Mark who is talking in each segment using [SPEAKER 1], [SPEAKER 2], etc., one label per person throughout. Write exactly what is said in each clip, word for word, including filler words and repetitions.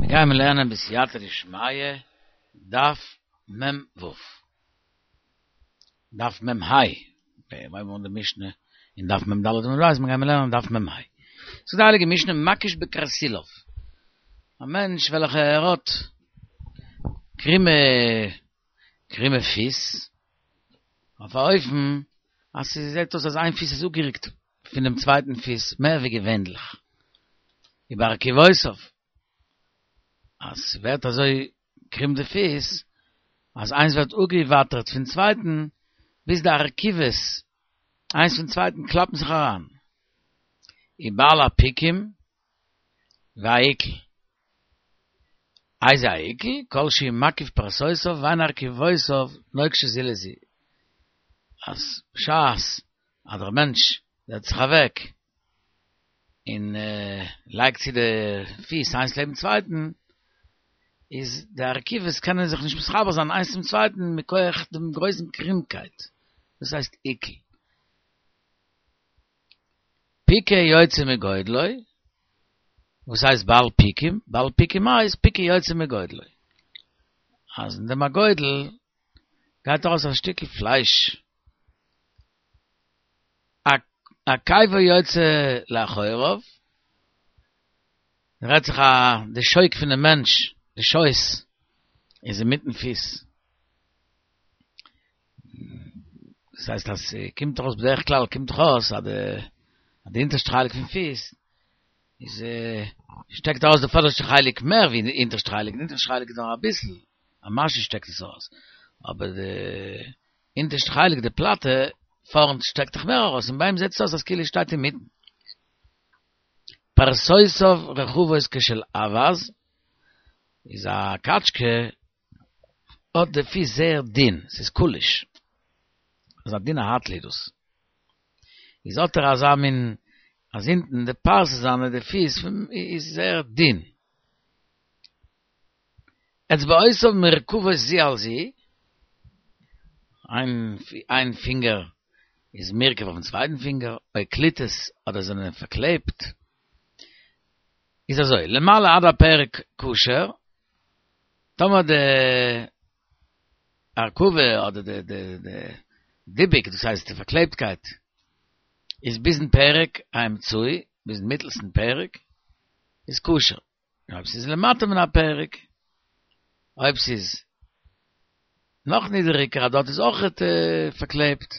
[SPEAKER 1] מיר גייען לערנען בסייעתא דשמיא, דף מ"ו. דף מ"ה. מיר הייבן אן די משנה אין דף מ"ד עמוד ב', מיר גייען לערנען דף מ"ה. זאגט די הייליגע משנה מקיש בקרסולו. א מענטש וועלכע ער האט קרימע קרימע פיס, אויף א אופן אז ס'זעט אויס אז איין פיס איז אפגערוקט פונעם צווייטן פיס מער ווי געווענליך. ובארכובותיו, אז ס'ווערט אזוי קרום די פיס, אז איינס ווערט אפגעוואטערט פון צווייטן, ביז די ארכובות איינס פון צווייטן קלאפן זיך אריין. ובעל הפיקים והעיקל. איזה העיקל? כל שהוא מקיף פרסותיו ואין ארכובותיו נוקשות זו לזו. אז בשעת אז דער מענטש זעצט זיך אוועק און לייגט צו די פיס איינס לעבן צווייטן, איז די ארכובות קענען זיך נישט מתחבר זיין איינס צום צווייטן מכח דעם גרויסן קרומקייט, דאס הייסט עיקול. פיקו יוצא מגודלו, וואס הייסט בעל פיקים? בעל פיקים הייסט פיקו יוצא מגודלו. אז אין דעם הגודל גייט ארויס א שטיקל פלייש. עקבו יוצא לאחוריו, רעדט זיך א די שוק פונעם מענטש, די שויס איז אינמיטן פיס. דאס הייסט אז ס'קומט ארויס בדרך כלל קומט דאך אויס אז די אז די אונטערשטע חלק פון פיס איז שטעקט ארויס די פאדערשטע חלק מער ווי די אונטערשטע חלק, די אונטערשטע חלק איז נאר אביסל, א משהו שטעקט עס ארויס, אבער די אונטערשטע חלק די פלאטע פארנט שטעקט דאך מער ארויס און ביי אים זעט עס אויס אז כאילו עס שטייט אינמיטן. פרסותיו רחבות כשל אווז, איז א קאטשקע האט די פיס זייער דין, ס'איז קוליש, אזא דינע הייטל איז דאס, איז האט ער אזא מין אז אונטן די פרסה זיינע די פיס איז זייער דין. אצבעותיו מורכבות זו על זו, איין פינגער איז מורכב אויפן צווייטן פינגער, או קלוטות אדער זענען פארקלעבט, איז אזוי, למעלה עד הפרק כשר, טאמער די הרכבה אדער די די די דיבוק, דאס הייסט די פארקלעבטקייט, איז ביזן פרק האמצעי, ביזן מיטלסטן פרק, איז כשר. און אויב ס'איז למטה מן הפרק, אויב ס'איז נאך נידעריגער אז דארט איז אויכעט פארקלעבט,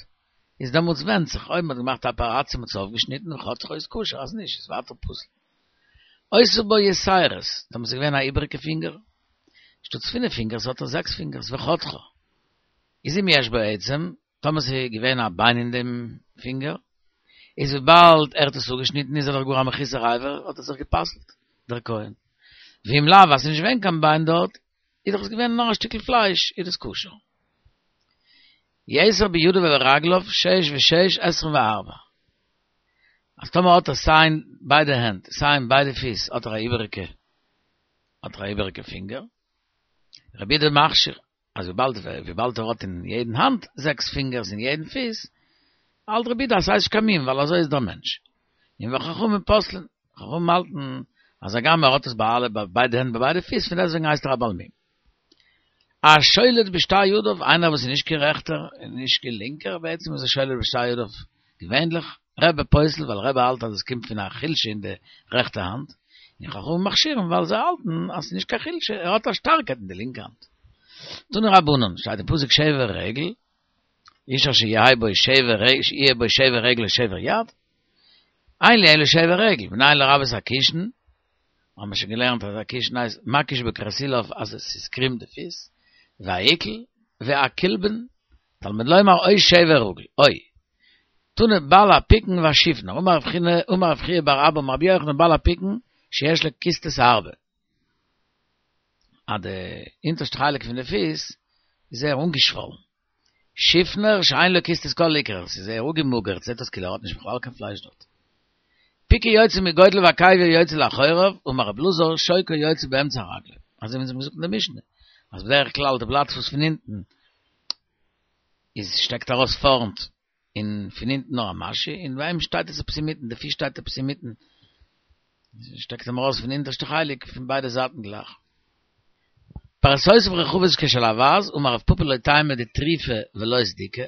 [SPEAKER 1] איז דעמאלטס ווענדט זיך אויב מ'האט געמאכט א אפעראציע מ'האט עס אויפגעשניטן וחתכו איז כשר, אז נישט איז ווייטער פסול. היתה בו יתרות, טאמער ס'איז געווען א איבעריגע פינגער, שטאטס פינף פינגערס האט ער זעקס פינגערס וחתכו. איז אם יש בו עצם, טאמער ס'איז געווען א ביין אין דעם פינגער, איז וויבאלד ער האט עס אפגעשניטן איז ער דאך גאר א מחוסר אבר, האט ער זיך גע'פסל'ט, דער כהן. ואם לאו, אז ס'איז נישט געווען קיין ביין דארט, איז דאך עס געווען נאר א שטיקל פלייש, איז דאס כשר. יתר בידיו וברגליו שש ושש עשרים וארבע. אז טאמער האט ער סיי אין ביידע הענט, סיי אין ביידע פיס האט ער א איבעריגע, האט ער א איבעריגע פינגער. רבי יהודה מכשיר, אז וויבאלד וויבאלד ער האט אין יעדן האנט זעקס פינגערס אין יעדן פיס, האלט רבי יהודה אז ס'הייסט נישט קיין מום ווייל אזוי איז דער מענטש. און וחכמים פוסלין, חכמים האלטן אז הגם ער האט עס ביי אלע ביי ביידע הענט ביי ביידע פיס פון דעסטוועגן הייסט ער א בעל מום. השולט בשתי ידיו, איינער וואס איז נישט קיין רעכטער און נישט קיין לינקער, בעצם איז ער שולט בשתי ידיו געווענליך, רבי פוסל ווייל רבי האלט אז עס קומט פון א חולשה אין די רעכטע האנט, און חכמים מכשירים ווייל זיי האלטן אז ס'איז נישט קיין חולשה, ער האט א שטארקייט אין די לינקע האנט. תנו רבנן, שטייט אין פסוק שבר רגל, איש אשר יהא בו שבר רגל, שיהיה בו שבר רגל או שבר יד, אין לי אלא שבר רגל, מנין לרבות הקישן, האבן מיר שוין געלערנט אז א קישן הייסט מקיש בקרסולו אז עס איז קרום די פיס, והעיקל, והקולבן, תלמוד לומר או שבר רגל, או. תנא בעל הפיקן והשיפנר, אמר רב חייא בר אבא אמר רבי יוחנן בעל הפיקן שיש לו קיסטות הרבה. אז די אונטערשטע חלק פון די פיס איז זייער אנגעשוואלן. שיפנר שאין לו קיסטות כל עיקר, ס'איז זייער אפגעמאגערט, זעט אויס כאילו ער האט נישט בכלל קיין פלייש דארט. פיקו יוצא מגודלו ועקבו יוצא לאחוריו, אמר רב אלעזר, שוקו יוצא באמצע רגלו. אזוי ווי אונז האבן געזאגט אין די משנה, אז בדרך כלל די בלאט פוס פון אונטן איז שטעקט ארויס פארנט און פון אונטן נאר א משהו, און ביי אים שטייט עס עפעס אינמיטן, די פיס שטייט עפעס אינמיטן, שטעקט אים ארויס פון אונטערשטע חלק פון ביידע זייטן גלייך. פרסותיו רחבות כשל אווז, אמר רב פפא לא טעמא דטריפה ולא סדיקה,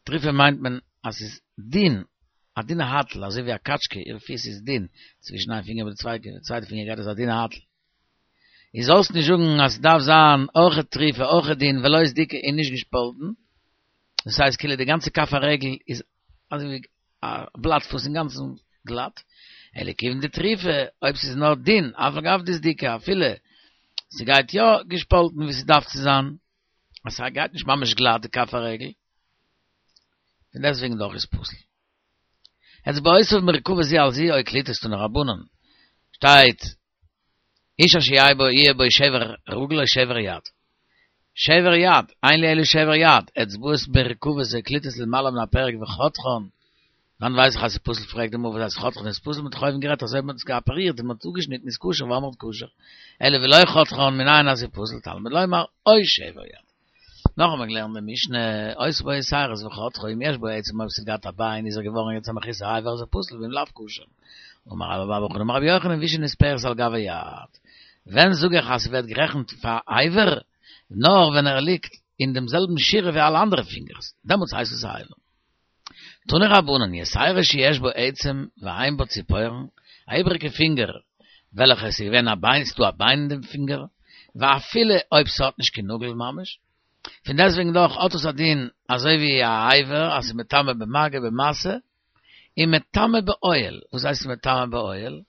[SPEAKER 1] טריפה מיינט מען אז ס'איז דין, א דינע הייטל, אזוי ווי א קאטשקע, איר פיס איז דין, צווישן איין פינגער מיט די צווייטע פינגער גייט אזא דינע הייטל. איז זאלסט נישט זאגן אז ס'דארף זיין אויכעט טריפה, אויכעט דין, ולא סדיקה און נישט געשפאלטן, דאס הייסט כאילו די גאנצע כף הרגל איז אזוי ווי א בלאט וואס אינגאנצן גלאט, אלא כיוון דטריפה, אויב ס'איז נאר דין, אף על גב דסדיקה, אפילו ס'גייט יא געשפאלטן ווי ס'דארף צו זיין, אז ס'גייט נישט ממש גלאט די כף הרגל, פון דעסטוועגן דאך איז פסול. אצבעותיו מרוכבות זו על זו או קלוטות תנו רבנן, שטייט איש אשר יהיה בו יהיה בו שבר רגל או שבר יד. שבר יד, אין לי אלא שבר יד, אצבעות מרוכבות או קלוטות למעלה מן הפרק וחותכן, וואנעט ווייס איך אז ס'איז פסול פרעגט די גמרא וואס הייסט חותכן איז פסול מ'האט דאך אויבן גערעדט אז אויב מ'האט עס געאפערירט און מ'האט אפגעשניטן איז כשר ואמרת כשר אלא ולא חותכן מנין אז ס'איז פסול תלמוד לומר או שבר יד. נאך האבן מיר געלערנט די משנה היתה בו יתרות וחתכה אם יש בו עצם אויב ס'האט געהאט א ביין איז ער געווארן יעצט א מחוסר אבר איז ער פסול ואם לאו כשר. אמר רבה בר בר חנה אמר רבי יוחנן והוא שנספרת על גב היד ווען זאג איך אז ס'ווערט גערעכנט פאר אבר נאר ווען ער ליגט אין דעם זעלבן שורה ווי אלע אנדערע פינגערס דעמאלטס הייסט עס א אבר. תנו רבנן, יתירה שיש בה עצם ואין בה ציפורן, א איבעריגע פינגער וועלכע עס איז געווען א ביין, ס'איז דא א ביין אין דעם פינגער, ואפילו אויב ס'האט נישט קיין נאגל ממש, פון דעסטוועגן דאך האט עס א דין אזוי ווי א אבר אז ס'איז מטמא במגע במשא, און מטמא באוהל, וואס הייסט מטמא באוהל?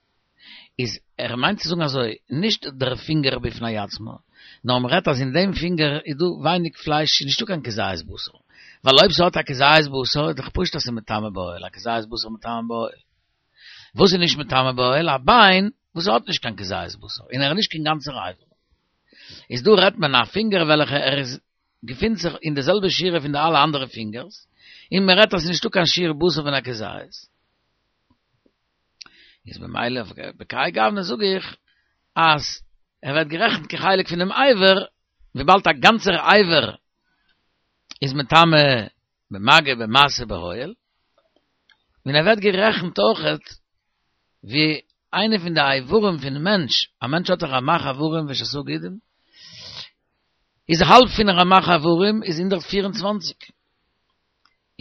[SPEAKER 1] איז ער מיינט צו זאגן אזוי, נישט דער פינגער בפני עצמו, נאר מ'רעדט אז אין דעם פינגער איז דא ווייניג פלייש, ס'איז נישטא קיין כזית בשר, ווייל אויב ס'האט א כזית בשר איז דאך פשוט אז ס'איז מטמא באוהל, א כזית בשר מטמא באוהל. וואס איז נישט מטמא באוהל? א ביין וואס האט נישט קיין כזית בשר, און ער איז נישט קיין גאנצער אבר. איז דא רעדט מען א פינגער וועלכע ער איז געפינט זיך אין די זעלבע שורה פון די אלע אנדערע פינגערס, און מ'רעדט אז ס'איז נישטא קיין שיעור בשר פון א כזית. איז במילא בכהאי גוונא זאג איך אז ער ווערט גערעכנט כחלק פונעם אבר, וויבאלד א גאנצער אבר איז מטמא במגע במשא באוהל, און ער ווערט גערעכנט אויכעט ווי איינע פון די איברים פון מענטש, א מענטש האט דאך רמ"ח איברים ושס"ה גידים, איז האלב פון רמ"ח איברים איז הונדערט פֿיר און צוואַנציק,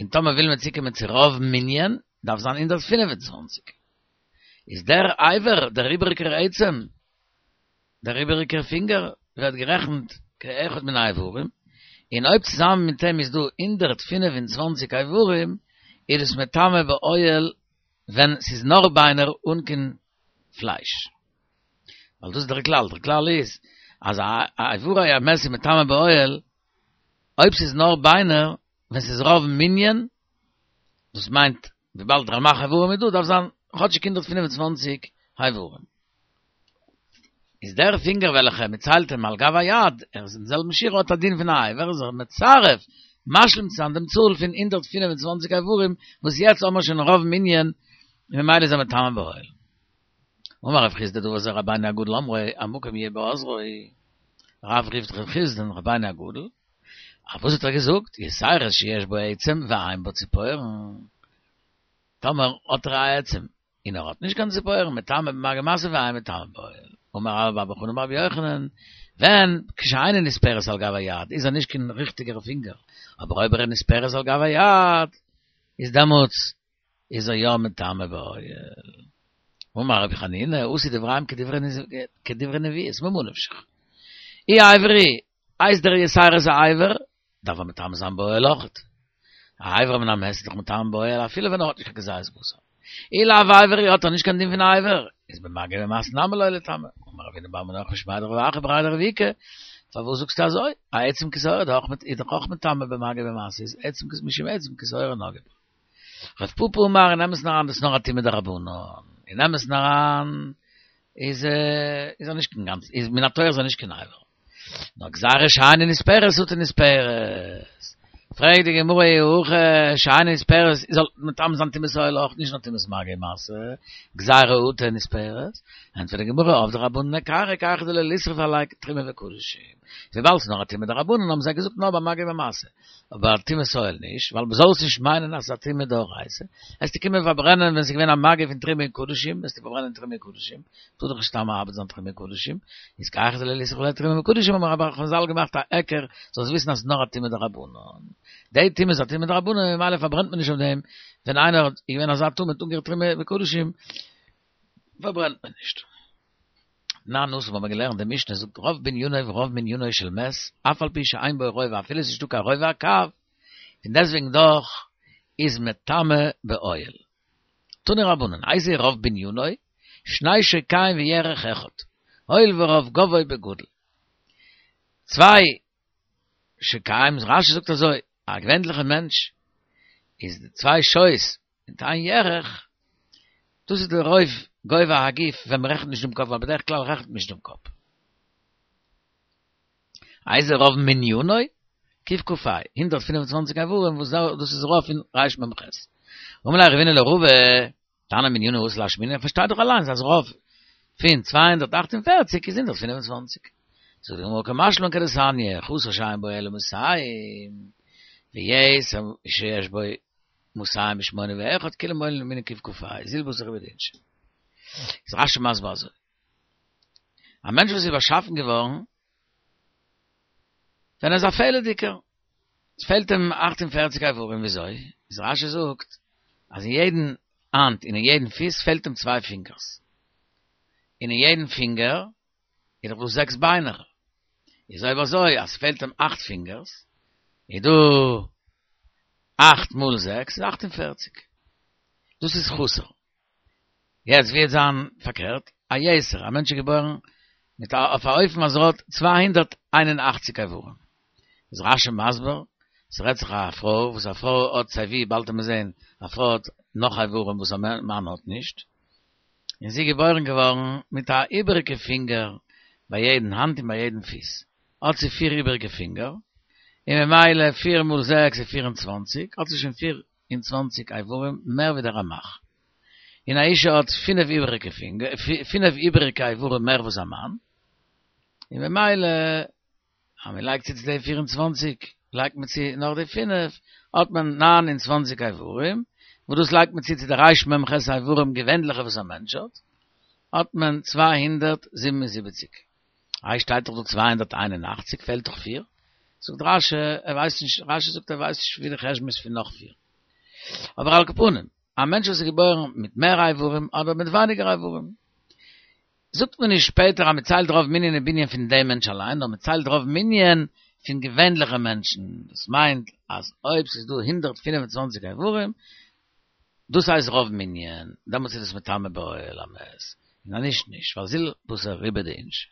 [SPEAKER 1] און טאמער וויל מען צוקומען צו רוב מנין, דארף זיין הונדערט פֿינף און צוואַנציק. איז דער אבר, דער איבעריקער עצם, דער איבעריקער פינגער, ווערט גערעכנט כאחד מן האיברים, און אויב צוזאמען מיט אים איז דא הונדערט פֿינף און צוואַנציק איברים, איז דאס מטמא באוהל ווען ס'איז נאר ביינער אן קיין פלייש. ווייל דאס איז דער כלל, דער כלל איז אז איברי המת איז מטמא באוהל אויב ס'איז נאר ביינער, ווען ס'איז רוב מנין, דאס מיינט וויבאלד רמ"ח איברים איז דא דארף זיין כאטשיג הונדערט פֿינף און צוואַנציק איברים. איז דער פינגער וועלכע מ'ציילט אים על גב היד, ער איז אין זעלבן שורה האט א דין פון א אבר, איז ער מצרף, משלים צו זיין דעם צאל פון הונדערט פֿינף און צוואַנציק איברים, וואס יעצט האבן מיר שוין רוב מנין, ממילא איז ער מטמא באוהל. אמר רב חסדא דבר זה רבינו הגדול אמרו המקום יהיה בעזרו, רב רופט רב חסדא'ן רבינו הגדול, א וואס האט ער געזאגט? יתירה שיש בה עצם ואין בה ציפורן, טאמער האט ער א עצם און ער האט נישט קיין ציפורן, מטמא במגע ומשא ואין מטמא באוהל, אמר רבה בר בר חנה אמר רבי יוחנן, ווען כשאינה נספרת על גב היד איז ער נישט קיין ריכטיגער פינגער, אבער אויב ער איז נספרת על גב היד איז דעמאלטס איז ער יא מטמא באוהל. אמר רבי חנינא, עשו דבריהם כדברי נביאות, ממה נפשך. אי אבר הוא, הייסט דער יתירה א אבר, דארף ער מטמא זיין באוהל אויכעט. א אבר מן המת איז דאך מטמא באוהל אפילו ווען ער האט נישט קיין כזית בשר. אי לאו אבר הוא האט ער נישט קיין דין פון א אבר, איז במגע ובמשא נמי לא ליטמא. אמר רב הונא בר מנוח משמיה דרב אחא בריה דרב איקא, פארוואס זאגסטו אזוי? א עצם כשעורה איז דאך אויך מטמא במגע ובמשא איז עצם משום עצם כשעורה נגעו בו. רב פפא אמר אין אמת'ן אריין דאס נאר א טעמא דרבנן, אין אמת'ן אריין איז איז ער נישט קיין גאנץ איז מן התורה איז ער נישט קיין אבר. נאר גזירה שאינה נספרת אטו נספרת. פרעגט די גמרא אי הכי שאינה נספרת זאל מטמא זיין טומאת אוהל אויך נישט נאר טומאת מגע ומשא, גזירה אטו נספרת, ענטפערט די גמרא עבדי רבנן היכרא היכרא דלא לישרף עליה תרומה וקדשים. וויבאלד ס'איז נאר א טומאה דרבנן האבן זיי געזאגט נאר ביי מגע ומשא, אבער טומאת אוהל נישט, ווייל מ'זאל נישט מיינען אז ס'איז א טומאה דאורייתא, וועסטו קומען פארברענען ווען ס'איז געווען א מגע פון תרומה און קדשים, וועסטו פארברענען תרומה און קדשים, טאר דאך נישט סתם מאבד זיין תרומה און קדשים, איז כי היכי דלא ליסרו עליה תרומה וקדשים האבן חזל געמאכט א היכר, זאלסט וויסן אז ס'איז נאר א טומאה דרבנן. די טומאה איז א טומאה דרבנן ממילא פארברענט מען נישט אויף דעם, ווען איינער האט איז געווען אזא טמא האט אנגערירט תרומה וקדשים פארברענט מען נישט. תנן התם האבן מיר געלערנט די משנה זאגט רוב בנינו ורוב מנינו של מת אף על פי שאין בו רובע אפילו עס איז נישטא קיין רובע הקב פון דעסטוועגן דאך איז מטמא באוהל. תנו רבנן איזהו רוב בנינו שני שוקיים וירך אחד הואיל ורוב גבוה בגדול צוויי שוקיים רשי זאגט אזוי א געווענליכע מענטש איז די צוויי שויס מיט איין ירך, דאס איז די רוב גובה הגוף ווען מען רעכנט נישט דעם קאפ, ווייל בדרך כלל רעכנט מען נישט דעם קאפ. איזהו רוב מנינו? קכ"ה, הונדערט פֿינף און צוואַנציק איברים וואס דאס איז רוב פון רמ"ח. אמר ליה רבינא לרבא, תנא מנינו אתא לאשמועינן, פארשטייט דאך אליינס אז רוב פון צוויי הונדערט אַכט און פֿערציק איז הונדערט פֿינף און צוואַנציק. זאגט די גמרא קא משמע לן כדתניא, חסר שאין בו אלא מאתים, ויתר שיש בו מאתים ושמונים ואחד, כולן מונין למנין קכ"ה, זיל בתר ריבעא דאינשי. איז רשי מסביר אזוי. א מענטש וואס איז באשאפן געווארן, ווען ער איז א פעלעדיגער, עס פעלט אים אַכט און פֿערציק איברים, וויאזוי? איז רשי זאגט, אז אין יעדן האנט און אין יעדן פיס פעלט אים צוויי פינגערס. און אין יעדן פינגער איז דאך דא זעקס ביינער. איז אויב אזוי אז ס'פעלט אים אכט פינגערס, איז דא אכט מאל זעקס איז אכט און פֿערציק. דאס איז חסר. יעצט ווי וועט זיין פארקערט, א יתר, א מענטש איז געבוירן מיט א אויף א אופן אז ער האט צוויי הונדערט איין און אַכציק איברים. איז רשי מסביר, ס'רעדט זיך א פרוי, וואס א פרוי האט סיי ווי, באלד וועט מען זען, א פרוי האט נאך איברים וואס א מאן האט נישט. און זי איז געבוירן געווארן מיט א איבעריגע פינגער ביי יעדן האנט און ביי יעדן פיס, האט זי פיר איבעריגע פינגער, און ממילא פיר מאל זעקס איז פיר און צוואנציג, האט זי שוין פיר און צוואנציג איברים מער ווי דער רמח. און א אישה האט פינף איבעריגע פינגער, פינף איבעריגע איברים מער וואס א מאן, און ממילא אז מען לייגט צו צו די פֿיר און צוואַנציק לייגט מען צו נאך די פינף, האט מען נײַן און צוואַנציק איברים, וואס דאס לייגט מען צו צו די רמ"ח איברים געווענליכע וואס א מענטש האט, האט מען צוויי הונדערט זיבן און זיבעציק. איי שטייט דאך דא צוויי הונדערט איין און אַכציק פעלט דאך פֿיר? זאגט רש"י ער ווייסט נישט, רש"י זאגט ער ווייסט נישט ווי די חשבון איז פון נאך פֿיר. אבער על כל פנים, א מענטש וואס איז געבוירן מיט מער איברים אדער מיט ווייניגער איברים, זאגט מען נישט שפעטער אז מען ציילט רוב מנין און בנין פון דעם מענטש אליין, נאר מען ציילט רוב מנין פון געווענליכע מענטשן, דאס מיינט אז אויב ס'איז דא הונדערט פֿינף און צוואַנציק איברים, דאס הייסט רוב מנין, דעמאלטס איז עס מטמא באוהל המת, און אז נישט נישט, ווייל זיל בתר ריבעא דאינשי.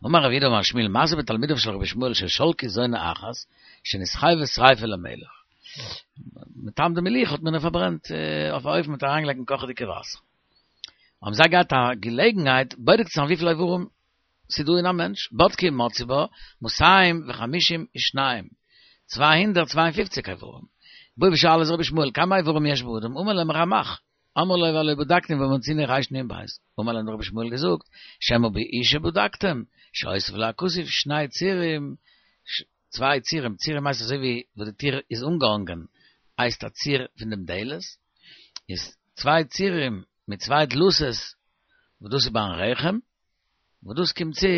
[SPEAKER 1] אמר רב יהודה אמר שמואל מעשה בתלמידיו של רבי ישמעאל ששלקו זונה אחת שנתחייבה שריפה למלך. מטעם די מלוכה האט מען איר פארברענט אויף א אופן מ'האט אריינגעלייגט אין קאכעדיגע וואסער. האבן זיי געהאט א געלעגנהייט בודק צו זיין וויפיל איברים ס'איז דא אין א מענטש, בדקו ומצאו בה מאתים וחמישים ושניים, צוויי הונדערט צוויי און פֿופֿציק איברים. באו ושאלו את רבי ישמעאל כמה איברים יש באדם, אמר להם רמח, אמרו לו והלא בדקנו ומצינו רנ"ב, אמר להם רבי ישמעאל געזאגט, שמא באשה בדקתם, שהוסיף לה הכתוב שני צירים, צוויי צירים, צירים הייסט אזוי ווי וואס די טיר איז אנגעהאנגען הייסט א ציר פון דעם דלת, איז צוויי צירים מיט צוויי דלתות וואס דאס איז ביים רחם, וואס דאס קומט צו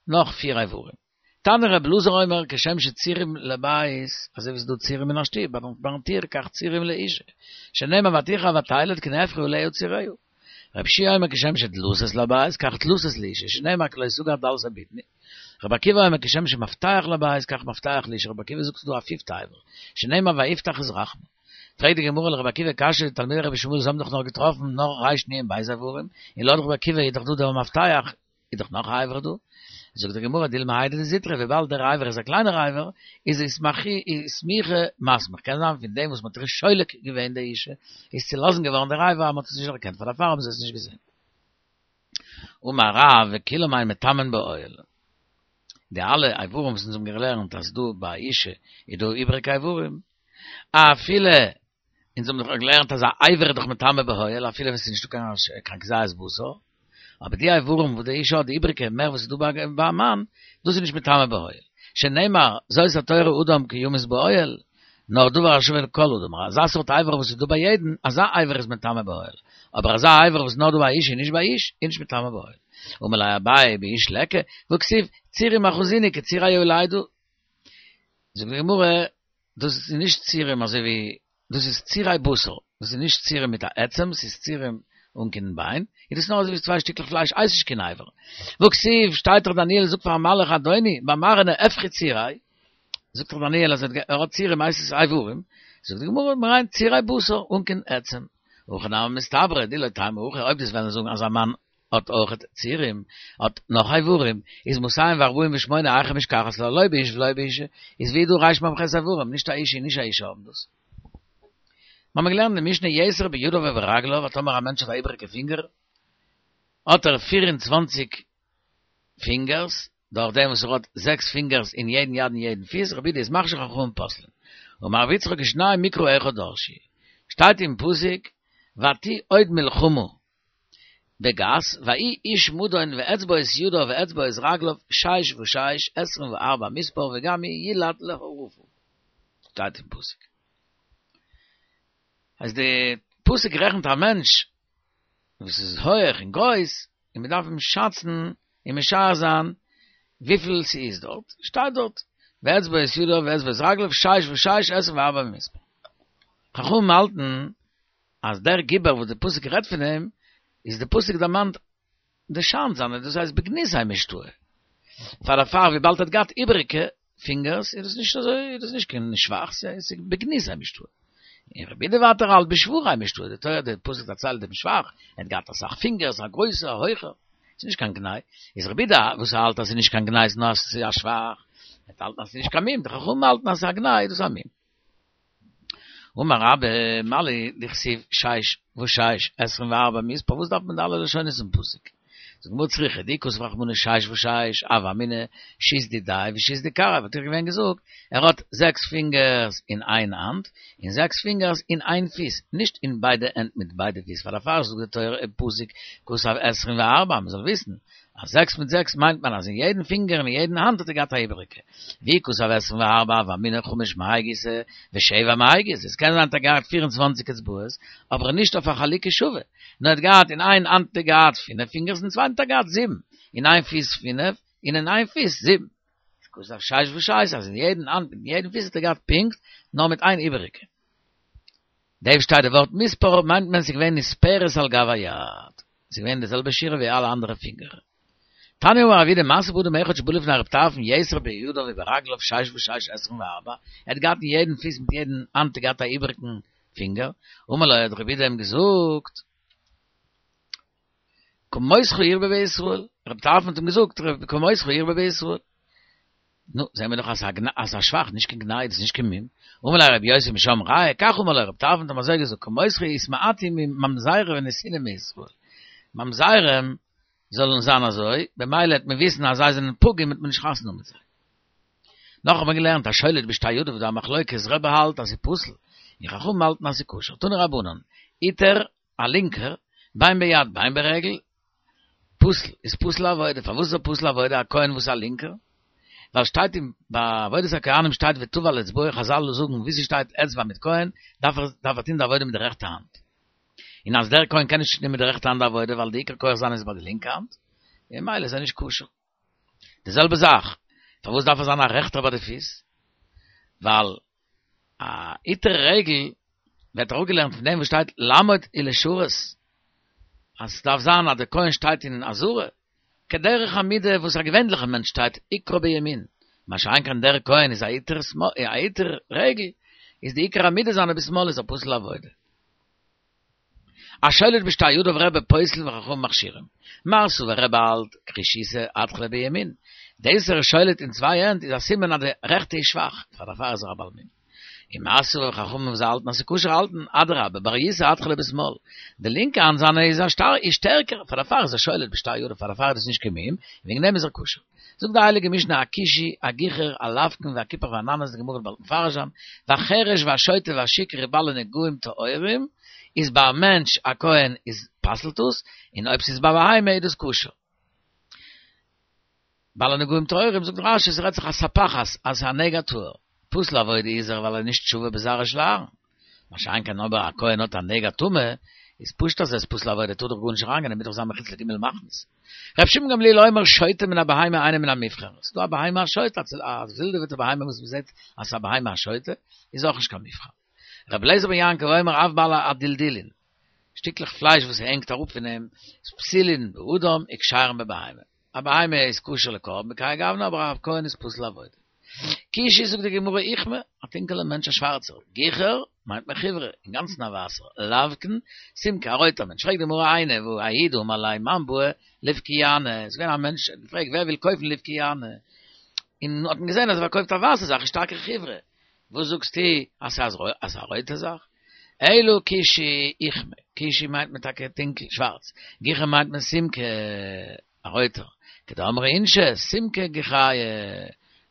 [SPEAKER 1] נאך פיר איברים. תנא רבי אלעזר אומר כשם שצירים לבית, אזוי ווי ס'איז דא צירים אין א שטוב, ביים טיר, כך צירים לאישה, שנאמר ותחר ותלד כי נהפכו עליה ציריה. רבי יהושע אומר כשם שדלתות לבית, כך דלתות לאישה, שנאמר כי לא תגר דלתי בטני. רבי עקיבא אומר כשם שמפתח לבית, כך מפתח לאישה, רבי עקיבא זאגט ס'איז דא א פיפטע אבר, שנאמר ויפתח את רחמה. פרעגט די גמרא לרבי עקיבא קשיא, די תלמידי רבי ישמעאל זיי האבן דאך נאר געטראפן נאר רנ"ב איברים, און לויט רבי עקיבא איז דאך דא דער מפתח, איז דאך נאך א אבר דא. זאגט די גמרא דילמא האי דזוטרא, וויבאלד דער אבר איז א קליינער אבר, איז איסמוכי מסמך, קען זיין פון דעם וואס מ'האט שולק געווען די אישה, איז צולאזן געווארן דער אבר אז מ'האט עס נישט דערקענט, פאר דערפאר האבן זיי עס נישט געזען. אמר רב וכולם אין מטמאין באוהל. די אלע איברים וואס אונז האבן געלערנט אז דא ביי א אישה איז דא איבעריגע איברים, אפילו אונז האבן דאך געלערנט אז א אבר איז דאך מטמא באוהל אפילו ווען ס'איז נישטא קיין קיין כזית בשר, אבער די איברים וואס די אישה האט די איבריגע מער וואס איז דא ביי א מאן, דאס איז נישט מטמא באוהל. שנאמר, זאת התורה אדם כי ימות באוהל, נאר דבר השווה לכל אדם, אזא סארט אבר וואס איז דא ביי יעדן, אזא אבר איז מטמא באוהל. אבער אזא אבר וואס איז נאר דא ביי אישה און נישט ביי איש, איז נישט מטמא באוהל. אמר ליה אביי באיש ליכא, והכתיב, צירים אחזיני כצירי יולדה. זאגט די גמרא, דאס איז נישט צירים אזוי ווי, דאס איז צירי בשר, דאס איז נישט צירים מיט א עצם, ס'איז צירים אן קיין ביין, איז דאס נאר אזוי ווי צוויי שטיקלעך פלייש, הייסט נישט קיין אבר. והכתיב, שטייט דאך דניאל זאגט פארן מלאך אדוני, במראה נהפכו צירי, זאגט דאך דניאל אז ער האט צירים הייסט עס איברים, זאגט די גמרא מ'מיינט צירי בשר אן קיין עצם. הכי נמי מסתברא דאי לא תימא הכי, אויב דו'סט וועלן זאגן אז א מאן האט אויכעט צירים, האט נאך איברים, איז מאתים וארבעים ושמונה היכא משכחת לה לא באיש ולא באישה, איז ווי איז דא רמ"ח איברים, נישט א איש און נישט א אישה האבן דאס. מ'האמיר געלערנט אין די משנה יתר בידיו וברגליו אז טאמער א מענטש האט א איבעריגע פינגער האט ער פֿיר און צוואַנציק פינגערס, דורך דעם וואס ער האט זעקס פינגערס אין יעדן יד און יעדן פיס, רבי יהודה איז מכשיר חכמים פוסלין. אמר רבי יצחק שנים מקרא אחד דרשו, שטייט אין פסוק ותהי עוד מלחמה בגת ויהי איש מדון ואצבעות ידיו ואצבעות רגליו שש ושש עשרים וארבע מספר וגם הוא יולד להרפה. שטייט אין פסוק. אז די פסוק רעכנט א מענטש וואס איז הויעך און גרויס, און מען דארף אים שאצן און משער זיין וויפיל ס'איז דארט, שטייט דארט, ואצבעות ידיו ואצבעות רגליו שש ושש עשרים וארבע במספר. חכמים האלטן אז דער גיבור וואס די פסוק רעדט פון אים, איז די פסוק דערמאנט די שאנד זיינע, דאס הייסט בגנותיה משתעי. פאר דערפאר וויבאלד ער האט געהאט איבעריגע פינגערס איז דאס נישט אזוי, איז דאס נישט קיין שבח, ס'איז בגנותיה משתעי. און רבי יהודה ווייטער האלט בשבחיה משתעי, די תורה די פסוק דערציילט דעם שבח, ער האט געהאט אסאך פינגערס, א גרויסער, א הויכער, ס'איז נישט קיין גנאי, איז רבי יהודה וואס האלט אז ס'איז נישט קיין גנאי נאר אז ס'איז א שבח, ער האלט אז ס'איז נישט קיין מום, די חכמים האלטן אז ס'איז א גנאי, איז דאס א מום. אמר רבה, מה לי דכתיב שש ושש עשרים וארבע מספר, וואס דארף מען די אלע לשונות אין פסוק? זאגט די גמרא צריכא, דאי כתב רחמנא שש ושש, הוה אמינא שית דידיה ושית דכרעיה, וואלט איך געווען געזאגט, ער האט זעקס פינגערס אין איין האנט, און זעקס פינגערס אין איין פיס, נישט אין ביידע הענט מיט ביידע פיס, פאר דערפאר זאגט די תורה אין פסוק כתב עשרים וארבע, מען זאל וויסן אז זעקס מיט זעקס מיינט מען אז אין יעדן פינגער און אין יעדן האנט האט ער געהאט א איבעריגע. ואי כתב עשרים וארבע הוה אמינא חמש מהאי גיסא ושבע מהאי גיסא, עס קען זיין האט ער געהאט פֿיר און צוואַנציק אצבעות, אבער נישט אויף א חלוקה שווה, נאר ער האט געהאט אין איין האנט האט ער געהאט פינף פינגערס אין צווייטן האט ער געהאט זיבן, אין איין פיס פינף און אין איין פיס זיבן. כתב שש ושש אז אין יעדן האנט מיט יעדן פיס האט ער געהאט פונקט, נאר מיט איין איבעריגע. דא שטייט די ווארט מספר מיינט מען ס'איז געווען נספרת על גב היד, ס'איז געווען די זעלבע שורה ווי אלע אנדערע פינגער. תניא אמר רב יהודה מעשה באדם אחד שבא לפני רב טרפון יתר בידיו וברגליו שש ושש עשרים וארבע, ער האט געהאט אין יעדן פיס מיט יעדן האנט געהאט א איבעריגן פינגער, אמר לו האט רב יהודה אים געזאגט, כמותך ירבה בישראל, רב טרפון האט אים געזאגט כמותך ירבה בישראל. נו, זעהן מיר דאך אז ס'איז א שבח, נישט קיין גנאי, דאס איז נישט קיין מום. אמר ליה רבי יוסי משם ראיה, כך אמר לו, רב טרפון האט אים אזוי געזאגט, כמותך יתמעטו ממזרים ונתינים מישראל. ממזרים זאלן זיין אזוי, במילא וועט מען וויסן אז זיי זענען פגום וועט מען נישט חתונה האבן מיט זיי. נאך האט מען געלערנט השולט בשתי ידיו דא א מחלוקת, רבי האלט אז ס'איז פסול, און חכמים האלטן אז ס'איז כשר. תנו רבנן, איטר א לינקער, בין ביד בין ברגל, פסול, איז פסול לעבודה, פארוואס איז ער פסול לעבודה, א כהן וואס איז א לינקער? ווייל שטייט אין ביי עבודת הכהנים שטייט וטבל אצבעו, חזל זאגן ווי ס'שטייט אצבע מיט כהן, דארף ער דארף ער טון די עבודה מיט די רעכטע האנט. און אז דער כהן קען נישט טון מיט די רעכטע האנט די עבודה ווייל די עיקר כח זיינע איז ביי די לינקע האנט, ממילא איז ער נישט כשר. די זעלבע זאך, פארוואס דארף ער זיין א רעכטער ביי די פיס? ווייל א איטר רגל ווערט אראפגעלערנט פון דעם וואס שטייט לעמוד ולשרת, אז ס'דארף זיין אז דער כהן שטייט אין עזרה, כדרך עמידה וואס א געווענליכער מענטש שטייט עיקרו בימין, מה שאין כן דער כהן איז א איטר א איטר רגל, איז די עיקר עמידה זיינע בשמאל איז ער פסול לעבודה. השולט בשתי ידיו רבי פוסל וחכמים מכשירים. מר סבר רבי האלט קרישיתא אתחלה בימין. דאס ער איז שולט אין צוויי הענט איז א סימן אז די רעכטע איז שוואך, פאר דערפאר איז ער א בעל מום. און מר סבר חכמים וואס האלטן אז ס'איז כשר האלטן אדרבה ברייתא אתחלה בשמאל. די לינקע האנט זיינע איז א שטאר איז שטערקער פאר דערפאר איז ער שולט בשתי ידיו פאר דערפאר איז דאס נישט קיין מום וועגן דעם איז ער כשר. זאגט די הייליגע משנה הכושי, הגיחור, הלבקן והכיפח והננס, די גמרא וועט באלד מפרש זיין, והחרש והשוטה והשיכור ובעלי נגעים טהורים, איז ביי א מענטש א כהן איז פסל'ט עס, און אויב ס'איז ביי בהמה איז דאס כשר. בעלי נגעים טהורים זאגט רש"י ס'רעדט זיך א ספחת אז ס'איז א נגע טהור, פסול לעבודה איז ער ווייל ער איז נישט שווה בזרעו של אהרן. מה שאין כן אויב א כהן האט א נגע טומאה, איז פשוט אז ער איז פסול לעבודה, טאר דאך גארנישט אריינגיין, ער מוז דאך זיין מחוץ לג' מחנות. ר' שמעון גמליאל אומר שוטה מן הבהמה אינו מן המובחר, ס'איז דא א בהמה א שוטה, א ווילדעוועטע בהמה וואס מ'זעט אז ס'איז א בהמה א שוטה, איז אויך נישט קיין מובחר. ר' אליעזר בן יעקב אומר אף בעלי הדלדילין, שטיקלעך פלייש וואס הענגט אראפ פון אים, איז פסולין באדם וכשרין בבהמה. א בהמה איז כשר לקרבן בכהאי גוונא אבער א כהן איז פסול לעבודה. כושי זאגט די גמרא אוכמא, א טונקעלער מענטש א שווארצער, גיחור מיינט מען חיורא, אינגאנצן א ווייסער, לבקן, סומקא א רויטער מענטש, פרעגט די גמרא איני והא ההוא דאמר ליה מאן בעי לבקיאנא, עס איז געווען א מענטש האט געפרעגט ווער וויל קויפן לבקיאנא, און האט מען געזען אז ער פארקויפט א ווייסע זאך איז שטארקער חיורא, וואס זאגסטו אז ס'איז א רויטע זאך? אלא כושי אוכמא, כושי מיינט מען טאקע טונקל, שווארץ, גיחור מיינט מען סומקא, א רויטער, כדאמרי אינשי, סומקא גיחיא,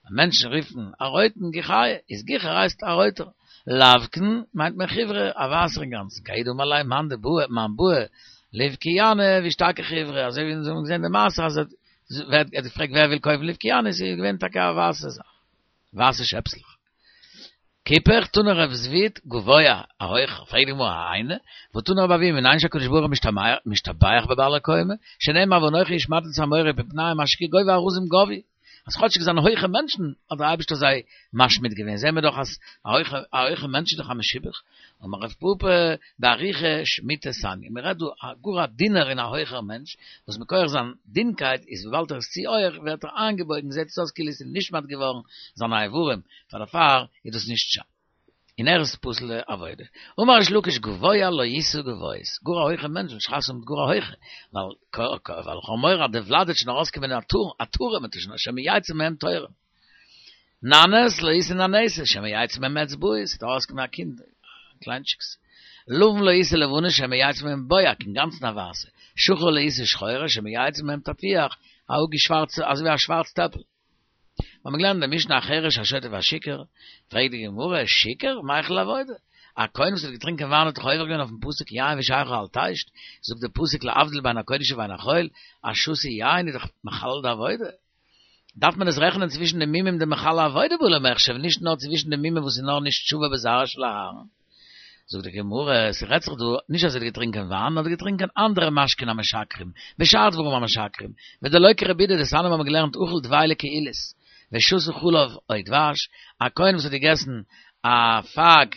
[SPEAKER 1] מענטשן רופן א רויטן גיחיא, איז גיחור הייסט א רויטער, לבקן מיינט מען חיורא, א ווייסער אינגאנצן, כי ההוא דאמר ליה מאן דבעי מאן בעי לבקיאנא ווי שטארקע חיורא, אזוי ווי אונז האבן געזען די מעשה אז ער האט געפרעגט ווער וויל קויפן לבקיאנא, ס'איז געווען טאקע א ווייסע זאך, ווייסע שעפסלעך. כיפח תני רב זביד גבוה א הויכער פרעגט די גמרא היינו והא תני רבי אבהו מנין שהקדוש ברוך הוא משתבח בבעלי קומה שנאמר ואנכי השמדתי את האמורי מפני אשר כי גובה ארזים גבהו אז כאטשיג זיינען הויכע מענטשן האט דער אייבערשטער זיי משמיד געווען זעהן מיר דאך אז א הויכע א הויכע מענטש איז דאך א משובח אמר רב פפא באריכא שמיטא סניא מען רעדט דא א גאר א דינער און א הויכער מענטש וואס מכח זיין דינקייט איז וויבאלד ער איז צו הויך ווערט ער איינגעבויגן זעהט עס אויס כאילו עס איז נשמט געווארן זיינע איברים פאר דערפאר איז דאס נישט שיין און ער איז פסול לעבודה. אמר ריש לקיש גבוה לא ישא גבוהות, גאר א הויכע מענטש זאל נישט חתונה האבן מיט גאר א הויכע, ווייל ווייל כ'האב מורא אז די ולד וועט שוין ארויסקומען א טור א טורעם וועט שוין שמא יצא מהם תורם. ננס לא ישא ננסות שמא יצא מהם אצבעות, ס'וועט ארויסקומען א קינד א קליינטשיקס. לבן לא ישא לבנות שמא יצא מהם בוהק, אינגאנצן א ווייסע. שחור לא ישא שחורות שמא יצא מהם תפוח, א אפגעשווארצע אזוי ווי א שווארץ טעפל. מיר האבן געלערנט אין די משנה החרש השוטה והשיכור, פרעגט די גמרא, שיכור? מיחל לעבודה? א כהן וואס האט געטרינקען וויין האט דאך עובר געווען אויפן פסוק יין ושכר אל תשת, זאגט דער פסוק להבדיל בין הקודש ובין החול, א שתוי יין איז דאך מחלל די עבודה. דארף מען עס רעכענען צווישן די מומים דמחללי עבודה בעי למחשב, נישט נאר צווישן די מומים וואס איז נאר נישט שווה בזרעו של אהרן. זאגט די גמרא, ס'רעדט זיך דא נישט אז ער האט געטרינקען וויין, נאר ער האט געטרינקען אנדערע משקין המשכרים, ושאר דברים המשכרים, ודלא כרבי יהודה דתניא מיר האבן געלערנט אכל דבילה קעילית, ושתה חלב או דבש, א כהן וואס האט געגעסן א פייג,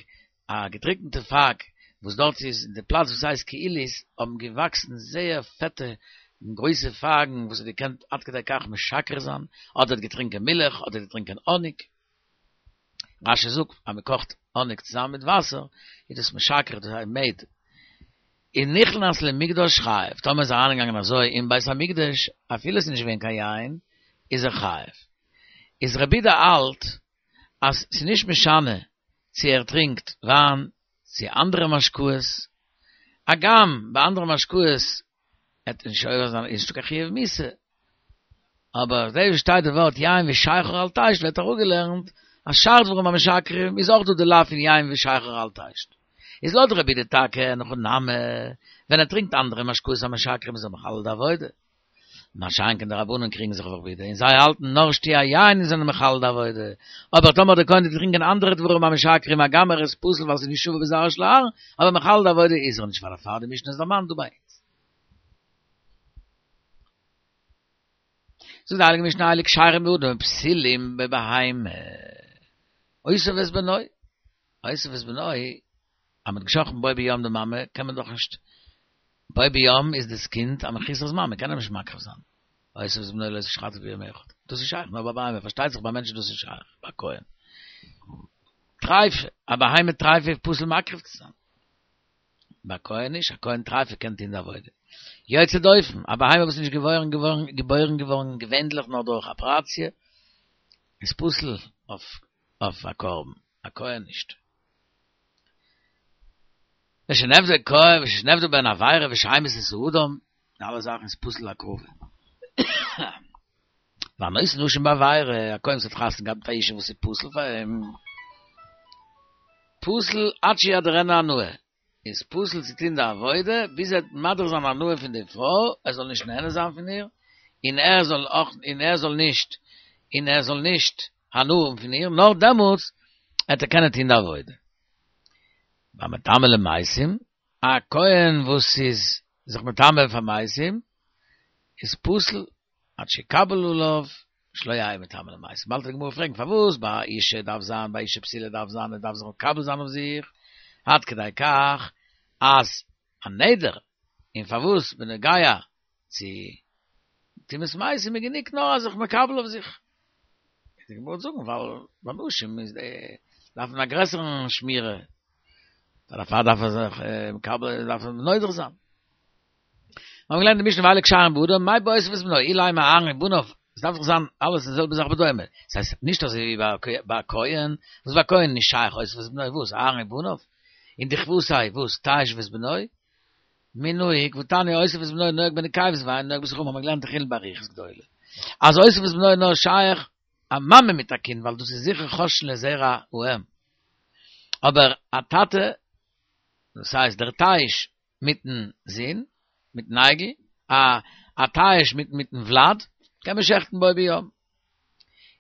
[SPEAKER 1] א געטריקענטע פייג, וואס דארט איז אין די פלאץ וואס הייסט קעילית האבן געוואקסן זייער פעטע און גרויסע פייגן וואס האט געקענט עד כדי כך משכר זיין, אדער האט געטרינקען מילך, אדער האט געטרינקען האניג. רש"י זאגט אז מען קאכט האניג צוזאמען מיט וואסער איז דאס משכר דאס הייסט מעד. און נכנס למקדש חייב, טאמער איז ער אריינגעגאנגען אזוי אין בית המקדש אפילו עס איז נישט געווען קיין יין איז ער חייב. איז רבי יהודה האלט אז ס'איז נישט משנה צו ער טרינקט וויין צו אנדערע משקאות, הגם ביי אנדערע משקאות עט נישט עובר זיין איז נישטא קיין חיוב מיתה, אבער דא וואו שטייט די ווארט יין ושכר אל תשת ווערט אראפגעלערנט אז שאר דברים המשכרים איז אויך דא די לאו פון יין ושכר אל תשת. איז לויט רבי יהודה טאקע אין הכי נמי ווען ער טרינקט אנדערע משקאות המשכרים איז ער מחלל די עבודה. מה שאין כן די רבנן קריגן זיך אויף רבי יהודה און זיי האלטן נאר שתיית יין זענען מחלל די עבודה, אבער טאמער דער כהן טוט טרינקען אנדערע דברים המשכרים הגם ער איז פסול ווייל ס'איז נישט שווה בזרעו של אהרן, אבער מחלל די עבודה איז ער נישט פאר דערפאר די משנה איז דערמאנט דא ביי אונז. זאגט די הייליגע משנה אלו כשרים באדם ופסולים בבהמה. אותו ואת בנו, אותו ואת בנו, אז מ'האט געשחט'ן בו ביום די מאמע קען מען דאך נישט בו ביום איז דאס קינד א מחוסר זמן, מען קען אים נישט מקריב זיין. אותו ואת בנו לא תשחטו ביום אחד. דאס איז שייך נאר ביי בהמה, פארשטייט זיך ביי מענטשן איז דאס נישט שייך, ביי כהן. טרייפה, א בהמה טרייפה איז פסול מקריב צו זיין. ביי כהן נישט, א כהן טרייפה קען טון די עבודה. יוצא דופן, א בהמה וואס איז נישט געבוירן געווארן געבוירן געווארן געווענדליך נאר דורך אפעראציע, איז פסול אויף א קרבן, א כהן נישט. ושנעבדה כהן ושנעבדה בהן עבירה ושהמית את האדם, די אלע זאכן איז פסול להקרבה. והנושא נשים בעבירה, א כהן וואס האט חתונה געהאט מיט א אישה וואס איז פסול פאר אים, פסול עד שידרנה הנאה, איז פסול צו טון די עבודה, ביז ער וועט מדיר זיין הנאה פון די פרוי, ער זאל נישט נהנה זיין פון איר, און ער זאל אויך, און ער זאל נישט, און ער זאל נישט הנאה האבן פון איר, נאר דעמאלטס וועט ער קענען טון די עבודה. והמטמא למתים, א כהן וואס איז זיך מטמא פאר מתים, איז פסול עד שיקבל עליו שלא יהא מטמא למתים. באלד וועט די גמרא פרעגן פארוואס ביי אישה דארף זיין, ביי אישה בתולה דארף זיין, ער דארף זיך מקבל זיין אויף זיך, עד כדי כך אז א נדר, און פארוואס בנוגע צו טומאת מתים איז גענוג נאר אז זיך מקבל אויף זיך. די גמרא וועט זאגן ווייל ביי נשים איז די דארף מען א גרעסערן שמירה, דערפאר דארף ער זיך מקבל דארף ער נודר זיין. מיר האבן געלערנט די משנה ואלו קשרים באדם מאי באותיו את בנו אילימא אהרן ובניו, עס דארף דאך זיין אלעס די זעלבע זאך בדומה, עס הייסט נישט אזוי ווי ביי א כהן, וואס ביי א כהן נישט שייך אותו ואת בנו וואס אהרן ובניו, און דכוותיה וואס תיש ואת בנו, מי נהיג והתניא אותו ואת בנו נוהג בנקבות ואינו נוהג בזכרים האבן מיר געלערנט אין חולין באריכות גדולה אז אותו ואת בנו נאר שייך א מאמע מיט א קינד ווייל דאס איז זיכער חוששין לזרע האם אבער א טאטע דאס הייסט דער תיש מיטן זון מיטן אייגל א א תיש מיט מיטן ולד קען מען שעכטן בו ביום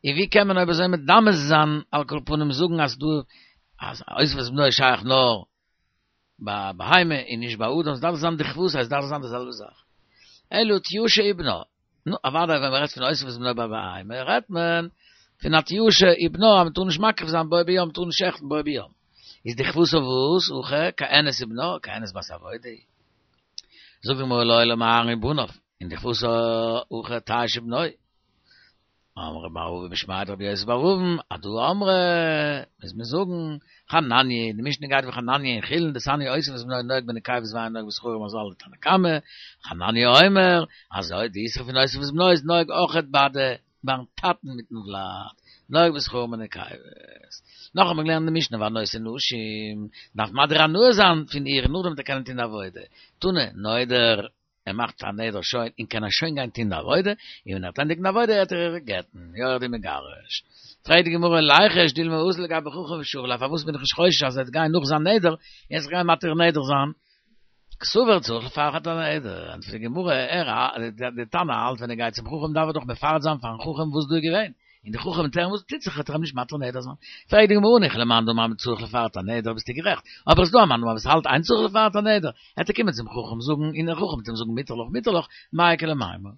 [SPEAKER 1] און ווי קען מען אויב אזוי מדמה זיין על כל פנים זאגן אז דא אז אותו ואת בנו איז שייך נאר ביי בהמה און נישט ביי אדם, עס דארף זיין דכוותיה, עס דארף זיין די זעלבע זאך. אלא תיושא ובנה. נו, אוודאי ווען מען רעדט פון אותו ואת בנו ביי בהמה, רעדט מען פון א תיושא ובנה אז מען טאר נישט מקריב זיין בו ביום, מען טאר נישט שעכטן בו ביום. איז דכוותיה וואס? הכא כהנת ובנה, כהנת בת עבודה היא. זאגט די גמרא לעולם אהרן ובניו, און דכוותיה הכא תיש ובנו. אמרי מר אבא משמיה דרבי יוסי בר אבין, הדא אמרי, מוז מען זאגן, חנניה, די משנה גייט ווי חנניה אין חולין, דתניא אותו ואת בנו נוהג בנקבות ואינו נוהג בזכרים אזוי האלט די תנא קמא, חנניה אומר, אז די איסור פון אותו ואת בנו איז נוהג אויכעט ביי די ביים טאטן מיטן ולד, נוהג בזכרים ובנקבות. נאך האט מען געלערנט אין די משנה והנושא נשים, דארף מדיר הנאה זיין פון איר נאכדעם וועט ער קענען טון די עבודה, תנא, נודר. ער מאכט א נדר שוין און קען ער שוין גיין טון די עבודה, און ווען ער וועט ענדיגן די עבודה וועט ער איר גט'ן, יורד ומגרש. פרעגט די גמרא ליחוש דילמא אזיל לגבי חכם ושרי ליה, פארוואס בין איך נישט חושש אז ער וועט גיין נאך זיין נדר און זיך גיין מתיר נדר זיין? קסבר צריך לפרט את הנדר, ענטפערט די גמרא, ער די תנא האלט ווען ער גייט צום חכם דארף ער דאך מפרט זיין פארן חכם וואס דא איז געווען, און די חכם וועט הערן וואס טוט זיך וועט ער אים נישט מתיר נדר זיין. פרעגט די גמרא הניחא למאן דאמר צריך לפרט הנדר ביסטו גערעכט, אבער עס איז דא א מאן דאמר וואס האלט אין צריך לפרט הנדר, וועט ער קומען צום חכם זאגן און דער חכם וועט אים זאגן מותר לך מותר לך מאי איכא למימר.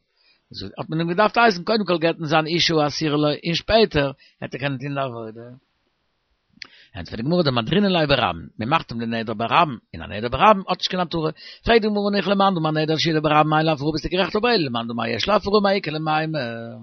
[SPEAKER 1] האט מען אים געדארפט הייסן קודם כל גט'ן זיין אישה האסורה לו און שפעטער וועט ער קענען טון די עבודה. ענטפערט די גמרא דמדרינן ליה ברבים, מען מאכט אים די נדר ברבים, און א נדר ברבים האט נישט קיין התרה. פרעגט די גמרא הניחא למאן דאמר נדר שהודר ברבים אין לו הפרה ביסטו גערעכט אבער אלא למאן דאמר יש לו הפרה מאי איכא למימר.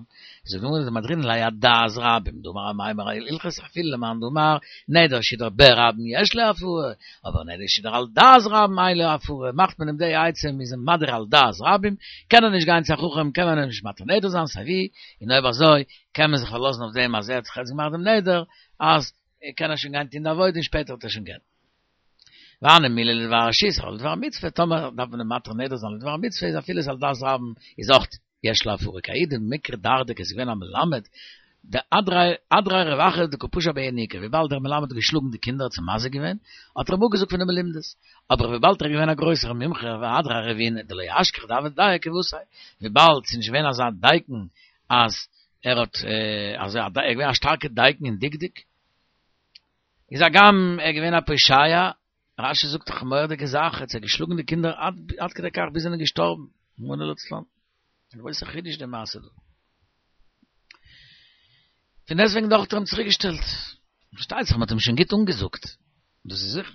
[SPEAKER 1] זאגט די גמרא דמדרינן ליה אדעת רבים דאמר אמימר הלכתא אפילו למאן דאמר נדר שהודר ברבים יש לו הפרה, אבער נדר שהודר על דעת רבים אין לו הפרה, מאכט מען אים די עצה מ'איז אים מדיר על דעת רבים, קען ער נישט גיין צו א חכם קען מען אים נישט מתיר נדר זיין סייווי, און אויב אזוי קען מען זיך פארלאזן אויף דעם אז ער האט זיך יעצט געמאכט דעם נדר אז קען ער שוין גיין טון די עבודה און שפעטער וועט ער שוין גט'ן. והני מילי לדבר רשות, אבל לדבר מצוה, טאמער דארף מען אים מתיר נדר זיין לדבר מצוה איז אפילו איז על דעת רבים איז אויך יש לו הפרה, כי ההוא דמיקרי דרדקי איז געווען א מלמד, דאדריה רב אחא דקא פשע ביה ינוקא, וויבאלד דער מלמד האט געשלאגן די קינדער האט זיי מזיק געווען, האט ער אים אפגעזאגט פון די מלומדות, אבער וויבאלד ער איז געווען א גרויסער מומחה ואדריה רבינא דלא אשכח דהוה דייק כוותיה, וויבאלד ס'איז נישט געווען אזא דייקן אז ער האט אז ער איז געווען א שטארקע דייקן אין דקדוק, איז הגם ער איז געווען א פושע, רשי זאגט דאך א מורא'דיגע זאך, ער האט זיי געשלאגן די קינדער עד כדי כך ביז זיי זענען געשטארבן, רחמנא לצלן. א גרויסע חידוש די מעשה דא. פון דעסטוועגן דאך האט ער אים צוריק געשטעלט. פארשטייט זיך מען האט אים שוין גוט אנגעזאגט, דאס איז זיכער.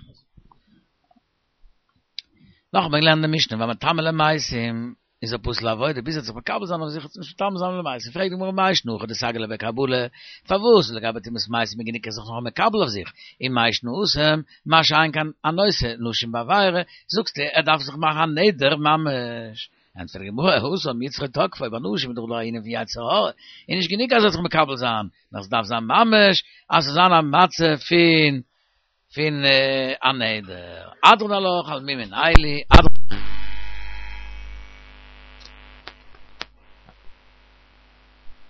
[SPEAKER 1] נאך האט מען געלערנט די משנה והמטמא למתים איז ער פסול לעבודה ביז ער וועט זיך מקבל זיין אויף זיך נישט מטמא זיין למתים פרעגט די גמרא מאי שנא הכא דסגי ליה בקבלה פארוואס לגבי טומאת מתים איז גענוג ער זיך נאר מקבל אויף זיך און מאי שנא התם מה שאין כן הנושא נשים בעבירה זאגסטו ער דארף זיך מאכן א נדר ממש ענטפערט די גמרא התם יצרו תקפו ביי נשים איז דאך דא א ענין פון יצר הרע איז נישט גענוג אז ער זאל זיך מקבל זיין נאר עס דארף זיין ממש אז עס זאל זיין א מצב פון פון א נדר, הדרן עלך על מי מנהלי, הדרן.